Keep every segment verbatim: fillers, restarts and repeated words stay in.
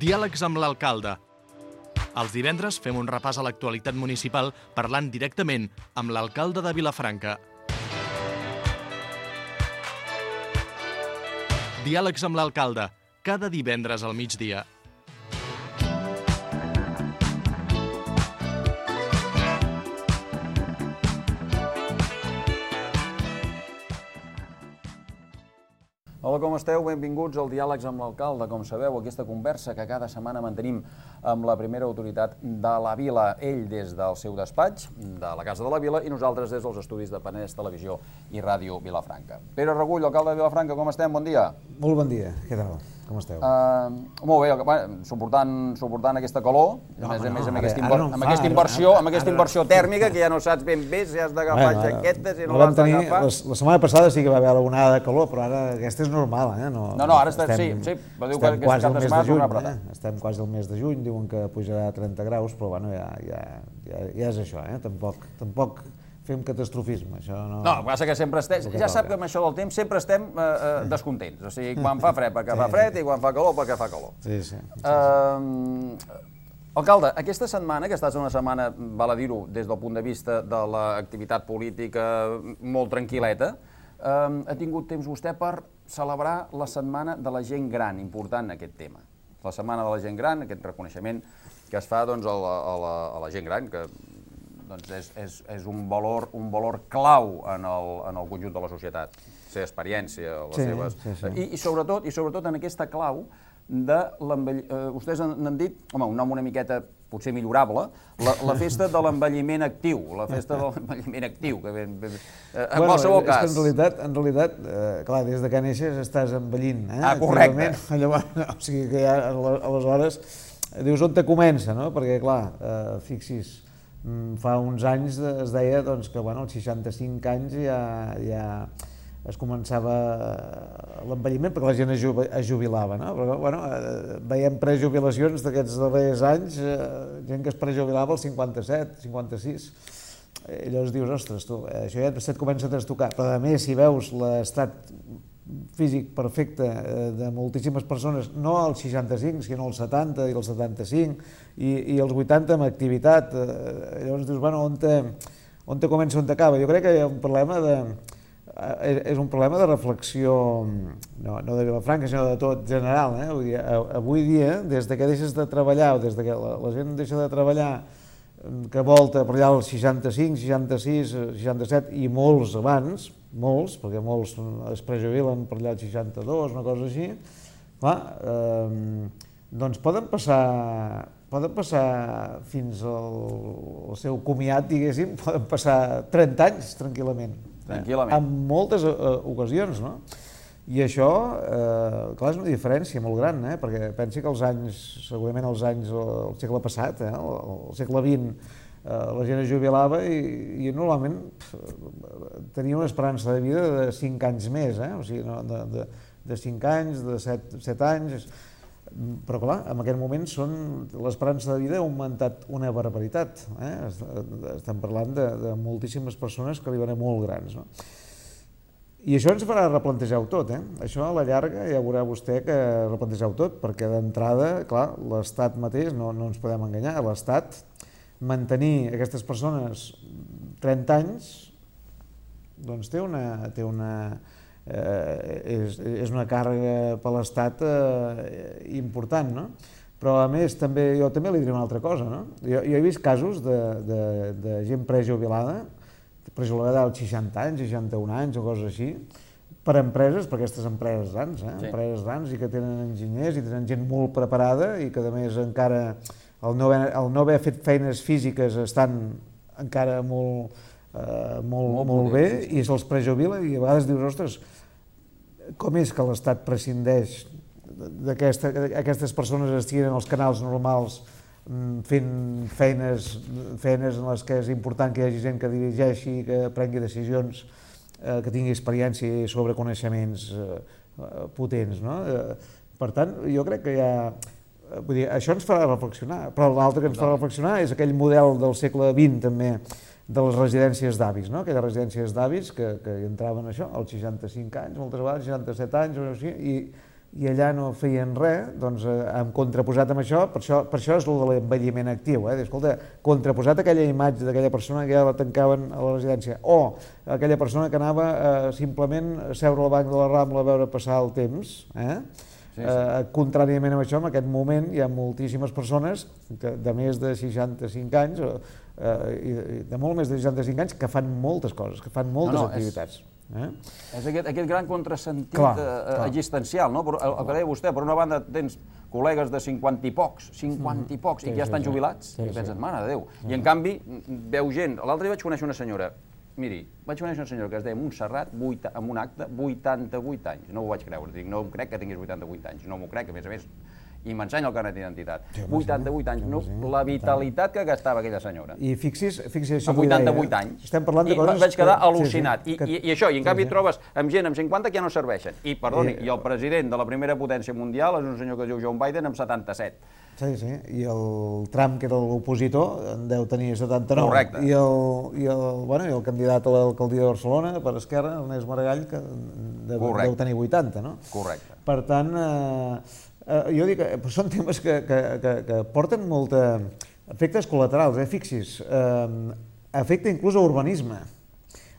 Diàlegs amb l'alcalde. Els divendres fem un repàs a l'actualitat municipal parlant directament amb l'alcalde de Vilafranca. Diàlegs amb l'alcalde, cada divendres al migdia. Hola, com esteu? Benvinguts al Diàlegs amb l'alcalde. Com sabeu, aquesta conversa que cada setmana mantenim amb la primera autoritat de la vila, ell des del seu despatx, de la Casa de la Vila, i nosaltres des dels estudis de Penedès Televisió i Ràdio Vilafranca. Pere Regull, alcalde de Vilafranca, com estem? Bon dia. Molt bon dia. Què tal? Com esteu? Uh, molt bé, suportant, suportant aquesta calor, no, a més a no, més amb, ara, aquesta, ara inver no amb fa, aquesta inversió, ara, amb aquesta ara, inversió ara, tèrmica que ja no saps ben bé si has d'agafar bueno, jaquetes, si no, no l'has d'agafar. La, la setmana passada sí que va haver alguna de calor, però ara aquesta és normal, eh? No, no, no, ara està, estem, sí, sí, però diu estem que quasi aquest cap de mes setmana de juny, tornarà a eh? Estem quasi al mes de juny, diuen que pujarà a trenta graus, però bueno, ja, ja, ja, ja és això, eh? Tampoc, tampoc fem catastrofisme, això no... No, el que passa que sempre estem, ja sap que amb això del temps sempre estem eh, eh, descontents, o sigui, quan fa fred perquè fa fred i quan fa calor perquè fa calor. Sí, sí. sí, Uh, alcalde, aquesta setmana, que ha estat una setmana, val a dir-ho, des del punt de vista de l'activitat política molt tranquil·leta, uh, ha tingut temps vostè per celebrar la Setmana de la Gent Gran, important aquest tema. La Setmana de la Gent Gran, aquest reconeixement que es fa doncs, a, la, a, la, a la gent gran, que doncs, és, és, és un, valor, un valor clau en el, en el conjunt de la societat, la seva experiència, les sí, seves... Sí, sí. I, i, sobretot, I sobretot en aquesta clau de l'envelliment... Eh, vostès n'han dit, home, un nom una miqueta potser millorable, la, la festa de l'envelliment actiu, la festa de l'envelliment actiu, que ben, ben, eh, en bueno, qualsevol cas... En realitat, en realitat eh, clar, des de que neixes estàs envellint, eh? Ah, correcte. Llavors, o sigui que ja aleshores dius on te comença, no? Perquè, clar, eh, fixis, fa uns anys es deia doncs, que bueno, als seixanta-cinc anys ja, ja es començava l'envelliment perquè la gent es, jubi, es jubilava, no? Però, bueno, eh, veiem prejubilacions d'aquests darrers anys, eh, gent que es prejubilava als cinquanta-set, cinquanta-sis. Eh, llavors dius, ostres, tu, eh, això ja et comença a trastocar. Però a més, si veus l'estat físic perfecte eh, de moltíssimes persones, no als seixanta-cinc, sinó als setanta i als setanta-cinc, i, i als vuitanta amb activitat, eh, llavors dius, bueno, on te, on te comença, on t'acaba? Jo crec que hi ha un problema de... és un problema de reflexió, no, no de Vilafranca, sinó de tot general. Eh? Vull dir, avui dia, des que deixes de treballar, o des que la, la gent deixa de treballar, que volta per allà als seixanta-cinc, seixanta-sis, seixanta-set i molts abans, molts, perquè molts es prejubilen per allà als seixanta-dos, una cosa així, clar, eh, doncs poden passar, poden passar fins al, al seu comiat, diguéssim, poden passar trenta anys tranquil·lament. Tranquil·lament. En moltes uh, ocasions, no? I això, eh, clar, és una diferència molt gran, eh? Perquè pensi que els anys, segurament els anys del segle passat, eh? el, el segle vint, eh, la gent es jubilava i, i normalment pf, tenia una esperança de vida de cinc anys més, eh? O sigui, no, de, de, de cinc anys, de set anys... Però clar, en aquest moment l'esperança de vida ha augmentat una barbaritat. Eh? Estem parlant de, de moltíssimes persones que arriben a molt grans. No? I això ens farà replantejar-ho tot. Eh? Això a la llarga ja veurà vostè que replantejar-ho tot, perquè d'entrada, clar, l'Estat mateix, no, no ens podem enganyar, l'Estat mantenir aquestes persones trenta anys doncs té una... Té una Eh, és, és una càrrega per l'Estat eh, important, no? Però a més també, jo també li diré una altra cosa, no? Jo, jo he vist casos de, de, de gent prejubilada, prejubilada als seixanta anys, seixanta-un anys o coses així, per empreses, per aquestes empreses grans, eh? Sí. Empreses grans i que tenen enginyers i tenen gent molt preparada i que a més encara el no haver, el no haver fet feines físiques estan encara molt... Uh, molt, molt, molt bé, i se'ls prejubila i a vegades dius, ostres, com és que l'Estat prescindeix d'aquestes persones estiguin en els canals normals fent feines, feines en les que és important que hi hagi gent que dirigeixi, que prengui decisions, eh, que tingui experiència sobre coneixements eh, potents, no? Eh, per tant, jo crec que hi ha... Vull dir, això ens farà reflexionar, però l'altre que ens farà reflexionar és aquell model del segle vint també, de les residències d'avis, no? Aquelles residències d'avis que, que entraven això als seixanta-cinc anys, moltes vegades seixanta-set anys, o així, i i allà no feien res, doncs hem contraposat amb això, per això, per això és el de l'envelliment actiu, eh? Escolta, contraposat aquella imatge d'aquella persona que ja la tancaven a la residència, o aquella persona que anava eh, simplement a seure al banc de la Rambla a veure passar el temps, eh? Sí, sí. Eh, contràriament a això, en aquest moment hi ha moltíssimes persones que, de més de seixanta-cinc anys, eh, i de molt més de seixanta-cinc anys, que fan moltes coses, que fan moltes no, no, activitats. És... Eh? És aquest, aquest gran contrasentit clar, eh, clar. existencial, no? Però, el, el que deia vostè, per una banda tens col·legues de cinquanta i pocs, cinquanta i pocs, sí, i que ja estan sí, jubilats, sí, i penses, sí. mare de Déu. Sí. I en canvi, veu gent, l'altre dia vaig conèixer una senyora, miri, vaig conèixer una senyora que es deia Montserrat, amb un acte, vuitanta-vuit anys, no ho vaig creure, dic, no em crec que tinguis vuitanta-vuit anys, no m'ho crec, a més a més, i m'ensenya el carnet d'identitat. vuitanta-vuit anys, no, la vitalitat que gastava aquella senyora. I fixis, fixis això amb vuitanta-vuit anys. Estem parlant de coses... I vaig quedar al·lucinat. I, i, I això, i en canvi trobes amb gent amb cinquanta que ja no serveixen. I, perdoni, i el president de la primera potència mundial és un senyor que es diu Joe Biden amb setanta-set. Sí, sí, i el Trump, que era l'opositor, en deu tenir setanta-nou. Correcte. I el, i el, bueno, i el candidat a l'alcaldia de Barcelona, per Esquerra, Ernest Maragall, que deu, deu tenir vuitanta, no? Correcte. Per tant, eh, eh, jo dic que són temes que, que, que, que porten molta efectes col·laterals, eh? Fixis, eh, afecta inclús a urbanisme.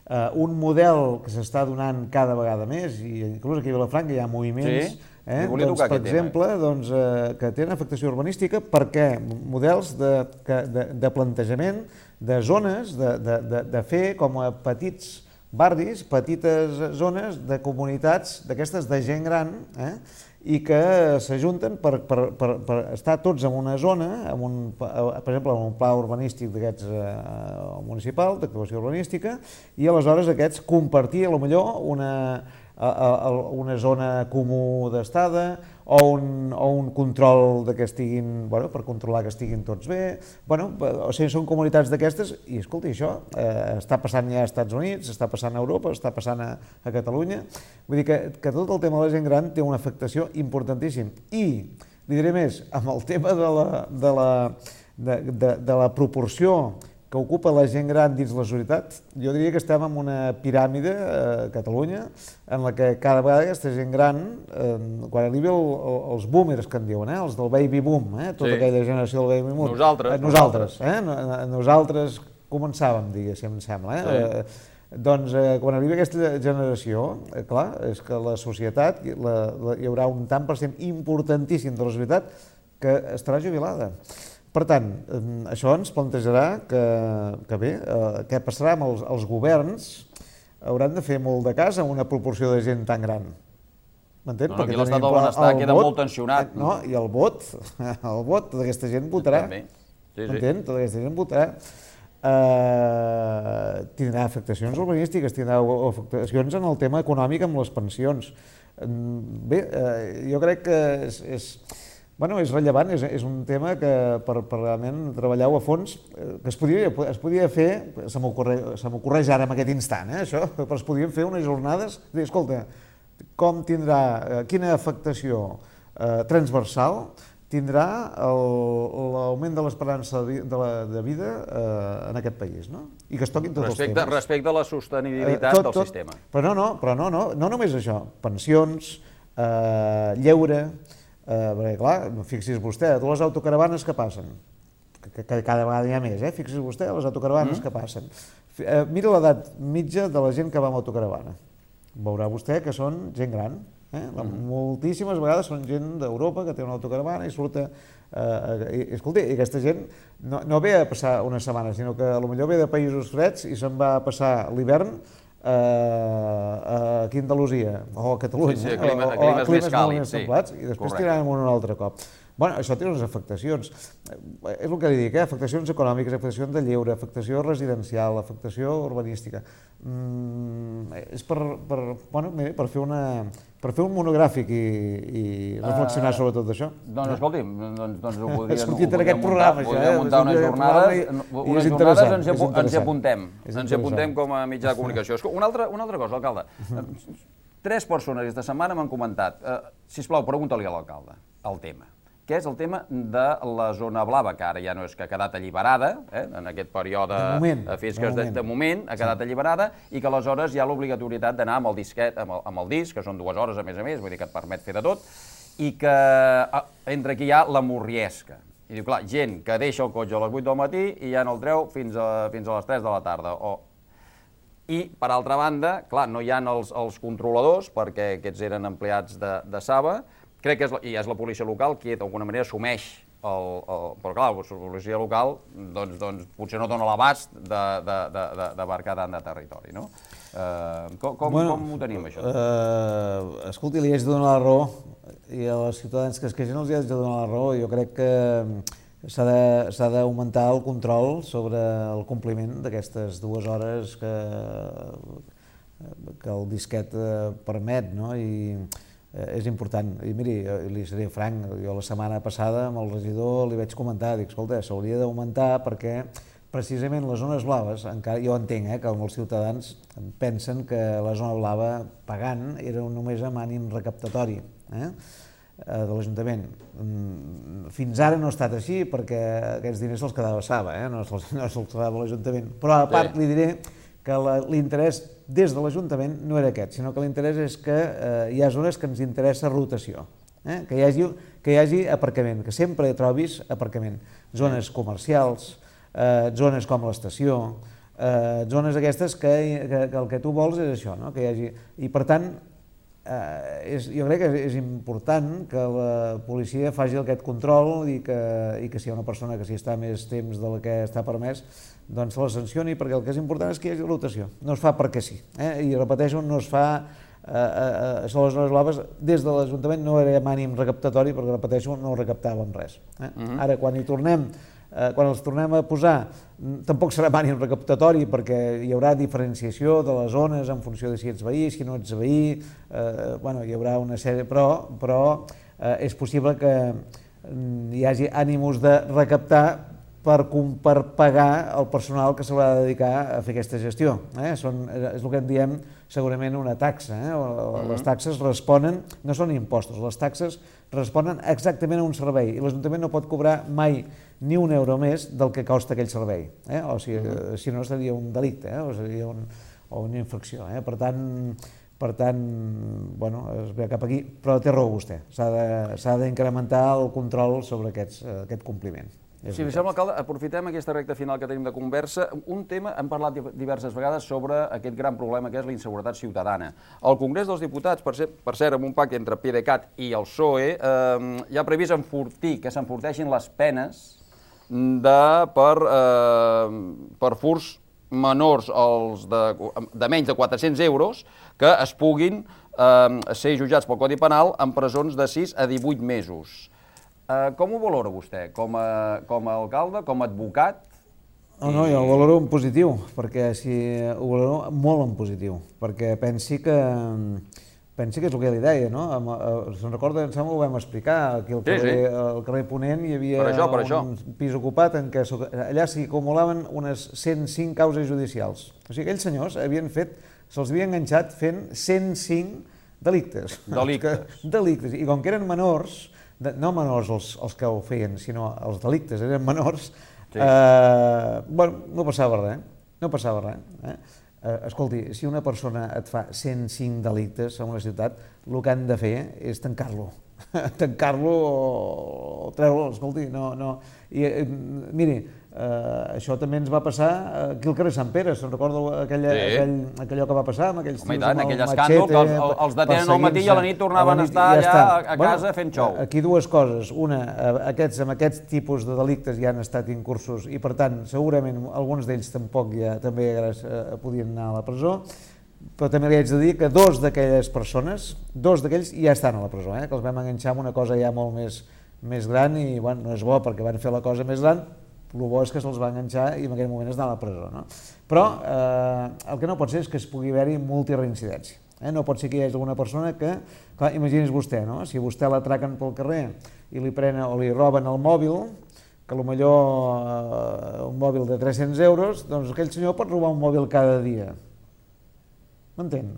Uh, un model que s'està donant cada vegada més, i inclús aquí a Vilafranca hi ha moviments, sí. eh, doncs, per exemple, doncs, eh, que tenen afectació urbanística perquè models de, de, de plantejament de zones, de, de, de, de fer com a petits barris, petites zones de comunitats d'aquestes de gent gran, eh, i que s'ajunten per, per, per, per estar tots en una zona, en un, per exemple, en un pla urbanístic d'aquests eh, municipal, d'actuació urbanística, i aleshores aquests compartir, potser una, a, a, una zona comú d'estada o un, o un control de que estiguin, bueno, per controlar que estiguin tots bé. Bueno, o sigui, són comunitats d'aquestes i, escolta, això eh, està passant ja als Estats Units, està passant a Europa, està passant a, a Catalunya. Vull dir que, que tot el tema de la gent gran té una afectació importantíssima. I, li diré més, amb el tema de la, de la, de, de, de la proporció que ocupa la gent gran dins la societat, jo diria que estem en una piràmide a Catalunya en la que cada vegada aquesta gent gran, eh, quan arribi el, el, els boomers que en diuen, eh, els del baby boom, eh, tota sí. aquella generació del baby boom, nosaltres, eh, nosaltres, eh, nosaltres començàvem, diguéssim, em sembla, eh, sí. eh, doncs eh, quan arribi aquesta generació, eh, clar, és que la societat, la, la, hi haurà un tant per cent importantíssim de la societat que estarà jubilada. Per tant, això ens plantejarà que, que bé, eh, què passarà amb els, els governs, hauran de fer molt de cas amb una proporció de gent tan gran. M'entens? No, no, aquí l'estat del benestar queda molt tensionat. No, i el vot, el vot, tota aquesta gent votarà. Sí, sí. M'entens? Tota aquesta gent votarà. Uh, tindrà afectacions urbanístiques, tindrà afectacions en el tema econòmic amb les pensions. Bé, uh, jo crec que és... és Bueno, és rellevant, és, és un tema que per, per realment treballar-ho a fons, que es podia, es podia fer, se m'ocorreix ara en aquest instant, eh, això, però es podien fer unes jornades, dir, escolta, com tindrà, quina afectació eh, transversal tindrà l'augment de l'esperança de, de, de vida eh, en aquest país, no? I que es toquin tots respecte, els temes. Respecte a la sostenibilitat eh, tot, del tot, sistema. Però no, no, però no, no, no només això, pensions, eh, lleure. Uh, perquè clar, fixi's vostè, a totes les autocaravanes que passen, que, que cada vegada hi ha més, eh? Fixi's vostè, les autocaravanes mm. que passen. Uh, mira l'edat mitja de la gent que va amb autocaravana. Veurà vostè que són gent gran. Eh? Mm. Moltíssimes vegades són gent d'Europa que té una autocaravana i surt a... Uh, i, escolta, i aquesta gent no, no ve a passar una setmana, sinó que potser ve de països freds i se'n va a passar l'hivern a Andalusia o a Catalunya, sí, sí, a clima, o, a climes, o a climes més càlids, molt templats, i després tiraran un altre cop. Bueno, això té unes afectacions, és el que li dic, eh? Afectacions econòmiques, afectació de lleure, afectació residencial, afectació urbanística. Mm, és per, per, bueno, per, fer una, per fer un monogràfic i, i reflexionar uh, sobre tot això. Doncs escolti, doncs, doncs ho podríem, ha sortit en aquest programa, això, podríem muntar unes jornades, unes jornades ens, hi, ens hi apuntem, ens hi apuntem com a mitjà de comunicació. Una altra, una altra cosa, alcalde, tres persones aquesta setmana m'han comentat, uh, sisplau, pregunta-li a l'alcalde el tema. que és el tema de la zona blava, que ara ja no és que ha quedat alliberada, eh, en aquest període, de moment, fins que de, moment. de moment ha quedat sí. alliberada, i que aleshores hi ha l'obligatorietat d'anar amb el disquet, amb el, amb el disc, que són dues hores a més a més, vull dir que et permet fer de tot, i que entre aquí hi ha la morriesca. I diu, clar, gent que deixa el cotxe a les vuit del matí i ja no el treu fins a, fins a les tres de la tarda. O... I, per altra banda, clar, no hi ha els, els controladors, perquè aquests eren empleats de, de Saba. Crec que és la, i és la policia local qui d'alguna manera assumeix el, el... Però clar, la policia local doncs, doncs, potser no dona l'abast d'abarcar tant de territori, no? Uh, com, com, bueno, com ho tenim, això? Uh, escolti, li haig de donar la raó, i als ciutadans que es queixen els hi haig de donar la raó. Jo crec que s'ha d'augmentar el control sobre el compliment d'aquestes dues hores que, que el disquet permet, no? I és important. I miri, li seré franc, jo la setmana passada amb el regidor li vaig comentar, dic, escolta, s'hauria d'augmentar perquè precisament les zones blaves, encara jo entenc eh, que molts ciutadans pensen que la zona blava pagant era només amb ànim recaptatori eh, de l'Ajuntament. Fins ara no ha estat així perquè aquests diners se'ls quedava Saba, eh, no se'ls no se quedava l'Ajuntament. Però a part li diré que l'interès des de l'Ajuntament no era aquest, sinó que l'interès és que eh, hi ha zones que ens interessa rotació, eh? que, hi hagi, que hi hagi aparcament, que sempre trobis aparcament. Zones comercials, eh, zones com l'estació, eh, zones aquestes que, que, que el que tu vols és això, no? Que hi hagi... I per tant, eh, és, jo crec que és important que la policia faci aquest control i que, i que si hi ha una persona que s'hi està més temps del que està permès, doncs la sancioni, perquè el que és important és que hi hagi rotació. No es fa perquè sí. Eh? I repeteixo, no es fa eh, eh, això de les zones blaves des de l'Ajuntament, no era amb ànim recaptatori, perquè repeteixo, no recaptàvem res. Eh? Uh-huh. Ara, quan hi tornem, eh, quan els tornem a posar, tampoc serà amb ànim recaptatori, perquè hi haurà diferenciació de les zones en funció de si ets veí, si no ets veí, eh, bueno, hi haurà una sèrie, però, però eh, és possible que hi hagi ànims de recaptar Per, per pagar el personal que s'haurà de dedicar a fer aquesta gestió. Eh? Són, és el que en diem segurament una taxa. Eh? Les taxes responen, no són impostos, les taxes responen exactament a un servei i l'Ajuntament no pot cobrar mai ni un euro més del que costa aquell servei. Eh? O si, si no seria un delicte eh? o seria un, o una infracció. Eh? Per tant, per tant, bueno, es ve cap aquí, però té raó vostè, s'ha d'incrementar el control sobre aquests, aquest compliment. Si li sembla, alcalde, aprofitem aquesta recta final que tenim de conversa. Un tema, hem parlat diverses vegades sobre aquest gran problema que és la inseguretat ciutadana. El Congrés dels Diputats, per cert, per cert amb un pacte entre PDeCAT i el P S O E, eh, ja ha previst enfortir, que s'enforteixin les penes de, per, eh, per furs menors els de, de menys de quatre-cents euros que es puguin eh, ser jutjats pel Codi Penal en presons de sis a divuit mesos. Uh, com ho valora vostè, com a, com a alcalde, com a advocat? No, no, jo ho valoro en positiu, perquè si ho valoro molt en positiu, perquè pensi que, pensi que és el que li deia, no? Se'n recorda, em sembla que ho vam explicar, aquí al carrer, sí, sí. al carrer Ponent hi havia per això, per un això. pis ocupat en què allà s'hi acumulaven unes cent cinc causes judicials. O sigui, aquells senyors havien fet, se'ls havia enganxat fent cent cinc delictes. Delictes. Delictes, i com que eren menors, no menors els, els que ho feien, sinó els delictes eren menors, sí. eh, bueno, no passava res, no passava res. Eh? Eh, escolti, si una persona et fa cent cinc delictes en una ciutat, el que han de fer és tancar-lo, tancar-lo o, o treure-lo, escolti, no, no. I, eh, miri, eh, això també ens va passar aquí al carrer Sant Pere, se'n recorda aquella, sí. aquell, aquellò que va passar amb aquells tios amb el escàndol, que els, els detenen al matí i a la nit tornaven a estar allà a, a casa bueno, fent xou. Aquí dues coses, una, aquests, amb aquests tipus de delictes ja han estat incursos i per tant segurament alguns d'ells tampoc ja també eh, podien anar a la presó, però també li haig de dir que dos d'aquelles persones, dos d'aquells ja estan a la presó, eh, que els vam enganxar amb una cosa ja molt més, més gran i bueno, no és bo perquè van fer la cosa més gran, el bo és que se'ls va enganxar i en aquell moment es anar a la presó. No? Però eh, el que no pot ser és que es pugui haver-hi multireincidència. Eh? No pot ser que hi hagi alguna persona que, clar, imagini's vostè, no? Si vostè l'atraquen pel carrer i li prenen o li roben el mòbil, que potser eh, un mòbil de tres-cents euros, doncs aquell senyor pot robar un mòbil cada dia. M'entén?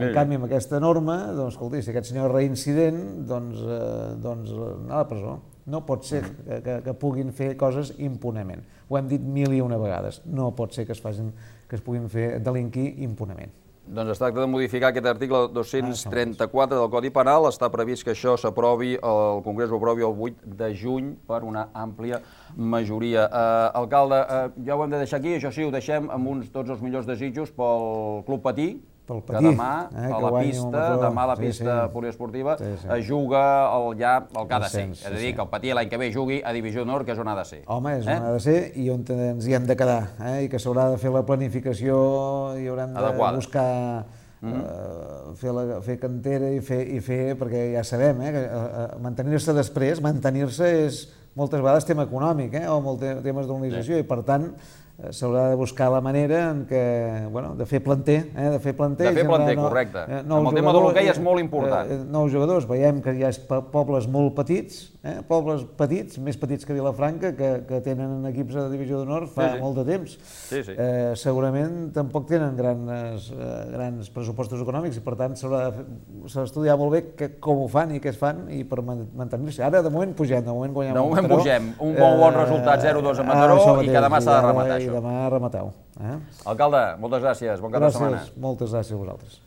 En canvi, amb aquesta norma, doncs, escolti, si aquest senyor és reincident, doncs, eh, doncs anar a la presó. No pot ser que, que, que puguin fer coses impunament. Ho hem dit mil i una vegades. No pot ser que es, facin, que es puguin fer delinquir impunament. Doncs es tracta de modificar aquest article dos-cents trenta-quatre del Codi Penal. Està previst que això s'aprovi, el Congrés ho aprovi el vuit de juny per una àmplia majoria. Eh, alcalde, eh, ja ho hem de deixar aquí, això sí, ho deixem amb uns tots els millors desitjos pel Club Patí, Pel que Patí, demà eh, a que la guanyi un pista, major. demà a la Sí, pista sí. poliesportiva, Sí, sí. es juga el, ja el que ha de ser. Ascens, És a dir, sí, sí. que el Patí l'any que ve jugui a Divisió d'Honor, que és on ha de ser. Home, és Eh? on ha de ser i on ens hi hem de quedar, eh? I que s'haurà de fer la planificació i haurem de Adequada. buscar eh, fer, la, fer cantera i fer, i fer, perquè ja sabem, eh, que eh, mantenir-se després, mantenir-se és moltes vegades tema econòmic, eh, o molt te- temes d'organització, i per tant eh, s'haurà de buscar la manera en què, bueno, de fer planter, eh, de fer planter, De fer generar planter, no- correcte. eh, Amb nous el tema de jugadors, l'hoquei és eh, molt important. eh, nous jugadors, veiem que hi ha po- pobles molt petits, eh, pobles petits, més petits que Vilafranca, que, que tenen equips de divisió d'honor fa Sí, sí. molt de temps. Sí, sí. Eh, segurament tampoc tenen grans, eh, grans pressupostos econòmics i per tant s'haurà de fer- s'ha d'estudiar molt bé que, com ho fan i què es fan i per man- mantenir-se. Ara de moment pugem, de moment guanyem De a moment Mataró. pugem. Un bon bon resultat, zero dos a Mataró, això i mateix, que demà s'ha de ara- rematar, I això. demà rematar-ho. Eh? Alcalde, moltes gràcies, bon cap de setmana. Gràcies, moltes gràcies a vosaltres.